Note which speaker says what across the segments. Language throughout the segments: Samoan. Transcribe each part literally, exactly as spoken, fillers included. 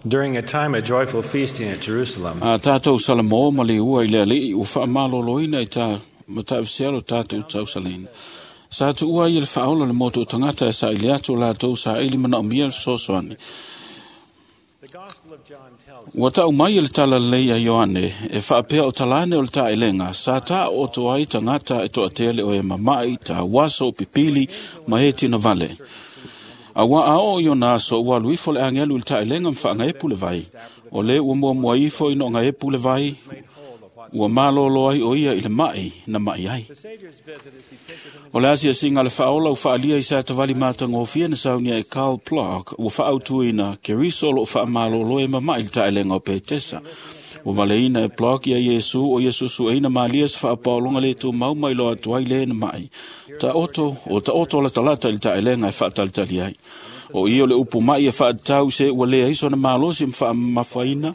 Speaker 1: During a time of joyful feasting at Jerusalem,
Speaker 2: A tātou Salamo ma le ua i le alii ua whaamaloloina i tā matawisia lo tātou tausalina. Sa tu ua i le whaola le moto o tangata e sa i le atu lātou sa ili mana o mia le sosoani.
Speaker 1: the Gospel of John tells
Speaker 2: Ua tau mai e le tala lei a Ioane e whaapea o talane o le taelenga sa tā o to ai tangata e toa tele o e mamai tā waso o pipili ma e tina vale. A wa ao i ona aso ua luifo le angelu i le taelenga mwhaanga e pule vai. O le ua mua mua ifo i no nga e pule vai, ua malolo ai o ia i le mai na mai ai.
Speaker 1: the Savior's visit is depicted in the
Speaker 2: O le asia singa le whaola u whaalia i sa tavali mātangofia na saunia e Karl Plock ua whaautuina ke riso lo whaamalolo e mamai le taelenga o Petesa. Ua valeina e Plock ia Iesu o Iesu sueina malia sa whaapaolonga le tū mau mai lo atu ai le na mai. Ta oto, o ta oto la talata i le taelenga e whaatalitali ai. O ia o le upu mai e whaatau se ua lea iso na malosi mwhaamafaina,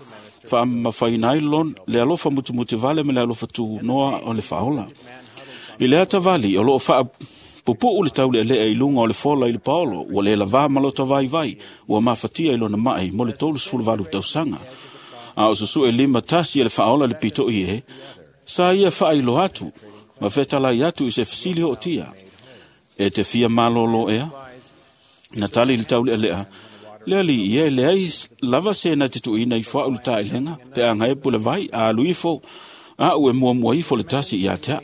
Speaker 2: whaamafaina ai lon, le alofa mutumuti vale me le alofa tū noa o le whaola. I le atavali o loo wha pupu le taule le e lunga o le fola i le paolo, ua le lava malota vai vai, ua mafatia i lona mai mo le tolu sefulu valu tausaga. A o susu e lima tasi e le whaola le pito i e, sa ia wha ilo atu, ma fetalai atu i se fisili o tia. E te fia malolo ea, na tali le taule lea, le ali ia le ai lava se na te tuina i fwa ulu taelenga, pe anga e pule vai, a alu ifo, a ue mua mua ifo le tasi i atea.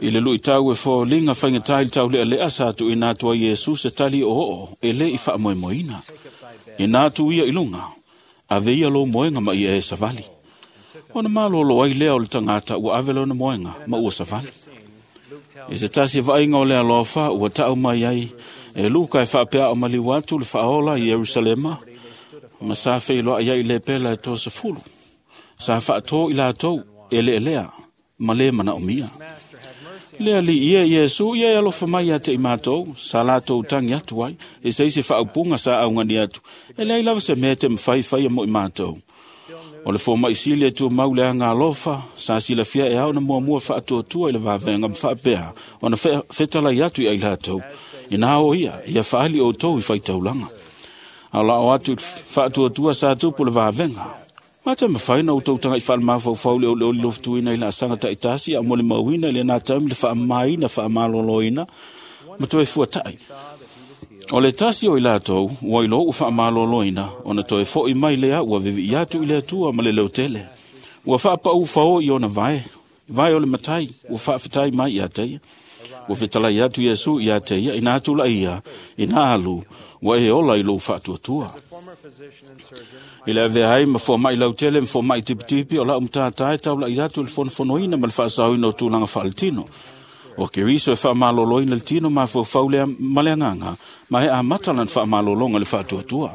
Speaker 2: I le lui tau e fo linga whainga tai le tau lea lea sa tu ina tua Iesu se tali o o e le i wha moemoeina. Ina tu ia i lunga, a ve ia lo moenga ma ia e savali. Ona malolo ai lea o le tangata ua ave lona moenga ma ua savali. I se tasi vainga o le alofa ua tau mai ai e Luka e whaapea o maliu atu le whaola i Yerusalema ma sa wheiloa ia i le pela e tō sa fulu. Sa whaato i lātou e le elea ma le mana o mia.
Speaker 1: Master have mercy
Speaker 2: Le ali ia Iesu ia e alofa mai ia te i mātou, sa lātou tangi atu ai, e se isi whaaupunga sa aungani atu, e leai lava se mea te mwhai whai a mo i mātou. O le fō mai sili e tua mau le anga alofa, sa silafia e au na mua mua whaatuatua i le wawenga mwhaapea, o na whetalai atu i ai lātou, i nā o ia, ia whaali o tau i whaitaulanga. A la o atu whaatuatua sa tupu le wawenga. Mata mawhaina o tautanga i whalamawhau le o le oli loftuina i la asanga taitasi a mo le mauina le nā taumi le whaamaina whaamaloloina ma toe fuatai. O le tasi o i lātou, ua ilo u whaamaloloina, o na toe fo i mai lea ua vivi i atu i le atua ma le leutele. Ua whaapau whao i ona vae, vae o le matai, ua whaawhitai mai i ateia. Ua whitalai atu Iesu i ateia, ina atu la ia, ina alu, ua e ola i lou whaatuatua.
Speaker 1: the former physician and surgeon
Speaker 2: I le avea ai ma fō mai lautele ma fō mai tipitipi o lau mtātai tau la i atu le fonofonoina ma le whaasaoina o tūlanga whaaletino. O ke riso e whaamaloloina le tino ma fō lea ma le anganga, ma e amata lan whaamalolonga le whaatuatua.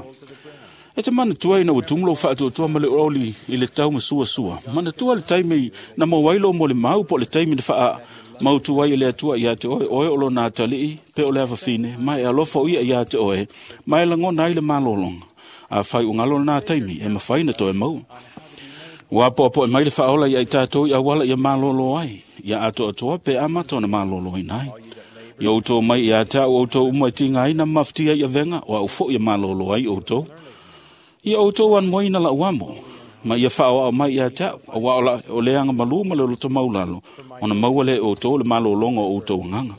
Speaker 2: E te mana tua ina ua tumulo whaatuatua ma le oli i le tau ma sua sua. Mana tua le taimi na mo wailo mo le mau po le taimi na whaa mautu ai i le atua ia te oe, oe o lo nā talii, pe o le awawhine, mai e alofa o ia ia te oe, mai e langona ai le malolonga. A whai ungalo nā taimi, e mawhai na toe mau. Ua po apo e mai le whaola i ai tātou i awala ia malolo ai, ia ato atoa pe amata ona malolo i nai. I outou mai i a tāu outou umai tinga ai na maftia i avenga, o au fo ia malolo ai outou. Ia outou an moina la uamo, ma ia whao au mai ia tāu, a wa o la o leanga malu ma le loto maulalo, ona maua le outou le malolonga o outou nganga.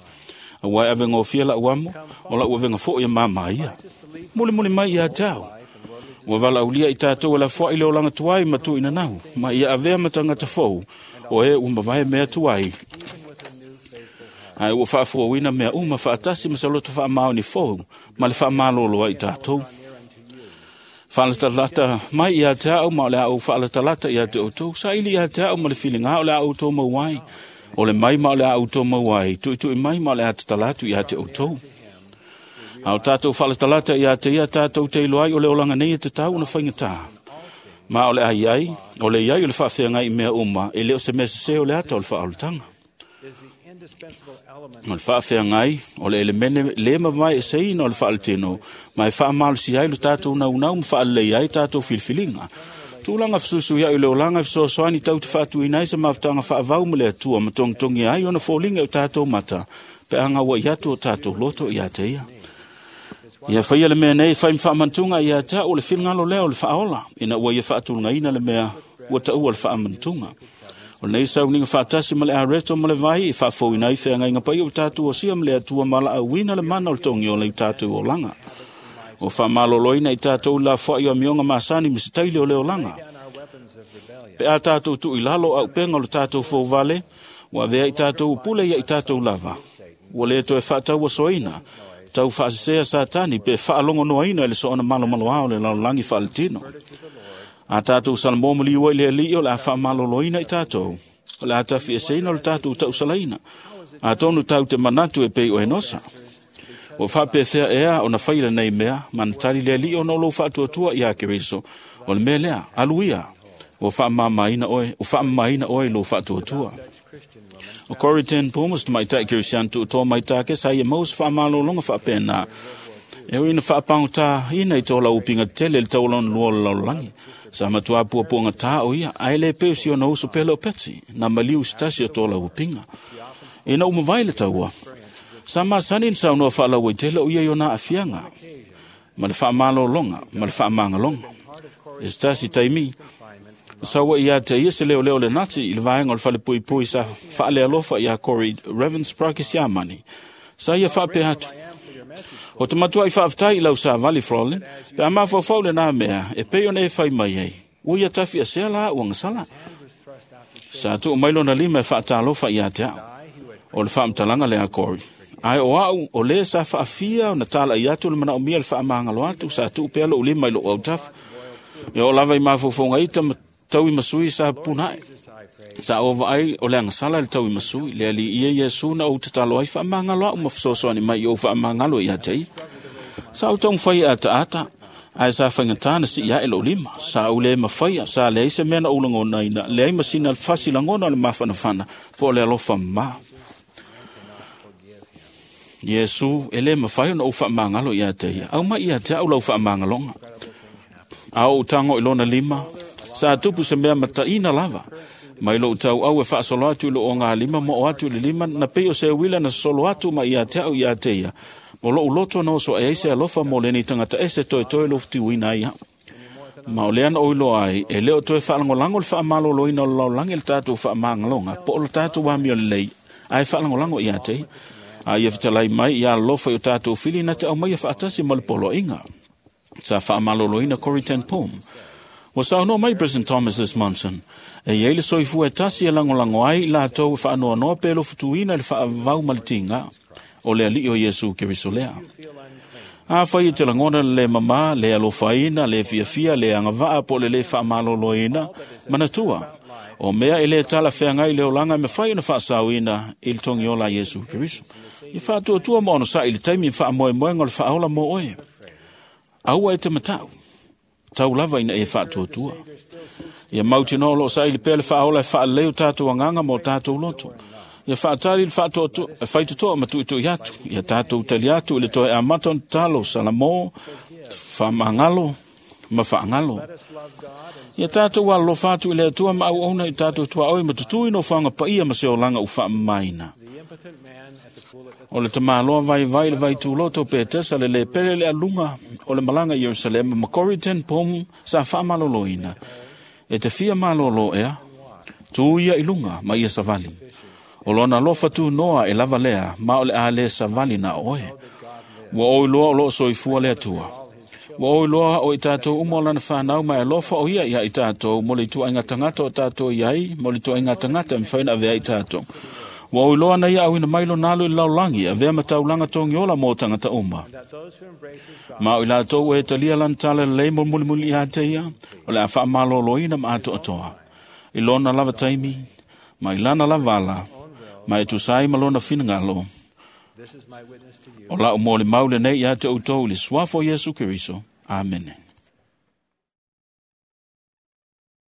Speaker 2: A wai avenga o fia la uamo, o la uavenga fo ia mama ia. Muli muli mai ia tāu. Ua wala ulia i tātou la fua i le olanga tuai ma tu ina nau, ma ia avea matangata fou, o e umavae mea tuai. Ai ua whaafuawina mea uma whaatasi ma saloto whaamao ni fou, ma le whaamalolo ai tātou. Whaalatalata mai ia te au ma o le au whaalatalata ia te outou, sa ili ia te au ma le whilinga o le au tō mauai, o le mai ma o le au tō mauai, tui tui mai ma o le atatalatu ia te outou. A o tātou whaalatalata ia te ia tātou te iloai o le olanga nei e te tau na whainga tā. Ma o le ai ai, o le iai o le whaawhea i mea uma, e leo se mea se o le ata o le whaolatanga.
Speaker 1: is the indispensable element
Speaker 2: O le whaawhea ngai, o le elemene le mawai e seina o le whaaletino, ma e whaamalosi ai lo tātou naunau ma whaalelei ai tātou filfilinga. Tūlanga whasusu ia i le olanga e whasoasoani tau te whaatuina ai sa mawtanga whaavau ma le atua ma tongitongi ai ona fōlinga o tātou mata, pe anga wa i atu o tātou loto i a te ia. Ia faia le mea nei fai ma faamantuga ia te au le finagalo lea o le faaola, ina ua ia faatulagaina le mea ua taua le faamantuga. O lenei sauniga faatasi ma le areto ma le vai e faafouina ai feagaiga paia o tatou osia ma le Atua ma laauina le mana o le togiola i tatou olaga. O faamaloloina i tatou lafoai o amioga masani ma se taili o le olaga. Pe a tatou tuu i lalo auupega o le tatou fouvale, ua avea i tatou pule ia i tatou lava. Ua le toe faatauasoaina, tau faasesea Satani pe faalogonoaina i le soona malomaloa o le lalolagi faaletino. A tatou salamo maliu ai le Alii o le a faamaloloina i tatou, o le a tafieseina o le tatou tausalaina. Atonu tau te manatu e pei o Enosa. Ua faapefea ea ona fai lenei mea, ma na tali le Alii ona o lou faatuatua ia Keriso. O le mea lea, alu ia, ua faamamaina oe, ua faamamaina oe i lou faatuatua. O Corrie ten Boom, o se tamaitai Kerisiano tuutoa mai Take, sa ia maua se faamalologa faapena. E ui ina faapagotā-ina i tō lau upiga tele i le taualona lua o le lalolagi. Sa matua puapuagatā o ia, ae le pei o si ona uso pele o Petsi, na maliu se tasi o tō lau upiga. Ina ua mavae le taua, sa masani na saunoa faalauaitele o ia i ona aafiaga, ma le faamalologa, ma le faamagaloga. E se tasi taimi, saua ia te ia se leoleo le Nati i le vaega o le falepuipui sa faalealofa ia Corrie Ravensbrück i Siamani. Sa ia faapea atu, o te matua i faafetai i lau savali Frolin, pe a mafaufau lena mea, e pei ona e fai mai ai, ua ia tafi asea la au agasala. Sa tuu mai lona lima e faatalofa ia te au. O le faamatalaga lea Corrie. Ae o au, o le sa faafia ona talai atu le manaomia le faamagalo atu, sa tuu pea lou lima i lou autafa. E oo lava i mafaufauga ita ma tau i masui sa punae. Sa o vaai o le agasala le tau i masui, le Alii ia Iesu na ou tatalo ai faamagalo au ma fesoasoani mai i ou faamagalo ia te ia. Sa ou taumafai e ataata, ae sa faigata na sii ae lou lima. Sa ou le mafaia, sa leai se mea na ou lagonaina, leai ma sina fasi lagona o le mafanafana, po o le alofa mamā. Iesu, e le mafai ona ou faamagalo ia te ia. Au mai ia te au lau faamagaloga. A ou tago i lona lima, sa tupu se mea mataina lava. Mai lou tauau e faasolo atu i lou ogalima ma oo atu i le lima, na pei o se uila na sosolo atu ma ia te au ia te ia. Mo lou loto na oso ai se alofa mo lenei tagata ese toetoe lou futiuina ai au. Ma o lea na oiloa ai, e le o toe faalagolago le faamaloloina o le lalolagi i le tatou faamagaloga, po o le tatou amio lelei, ae faalagolago ia te ia. A ia fetalai mai ia alofa i o tatou fili na te aumaia faatasi ma le poloaiga. Sa faamaloloina Corrie ten Boom. Ua saunoa mai President Thomas S. Monson, e iai le soifua e tasi e lagolago ai i latou e faanoanoa pe lofutuina i le faavau ma le tiga, o le Alii o Iesu Keriso lea. Afai e te lagona le le mamā, le alofaina, le fiafia, le agavaa po o le le faamaloloina, manatua, o mea e le talafeagai i le olaga e mafai ona faasaoina i le togiola a Iesu Keriso. Ia faatuatua ma onosai i le taimi faamoemoega o le faaola mo oe. Aua e te matau, tau lava ina e faatuatua. Ia mautinoa o loo saili pea le faaola e faalelei o tatou agaga ma o tatou loto. Ia faatali le faatoatoa, e faitotoa ma tuitui atu. Ia tatou tali atu i le toe amata ona tatalo, salamo, faamagalo ma faagalo. Ia tatou alolofa atu i le Atua ma auauna i tatou tuaoi ma tutui nofoaga paia ma se olaga ua faamamaina. O le tamaloa vaivai le vaituloto Petesa le le pele le aluga o le malaga i Ierusalema ma Corrie ten Boom sa faamaloloina. E te fia malolo ea, tu ia i luga ma ia savali. O lona alofa tunoa e lava lea, ma o le a le savali na oe. Ua oi loa o loo soifua le Atua. Ua oi loa o i tatou uma o lana whanau mai alofa o ia ia i tatou, mo le ituaiga tagata o tatou iai, mo le ituaiga tagata e mafai ona avea i tatou. Ua oi loa na ia auina mai lona alo i le lalolagi, avea ma taulaga togiola mo tagata uma. Ma o i latou e talia lana tala lelei mo mulimuli ia te ia, o le a faamaloloina ma atoatoa. I lona lava taimi, ma i lana lava ala, ma e tusa ai ma lona finagalo. O lau molimau lenei ia te outou i le suafa o Iesu Keriso. Amene.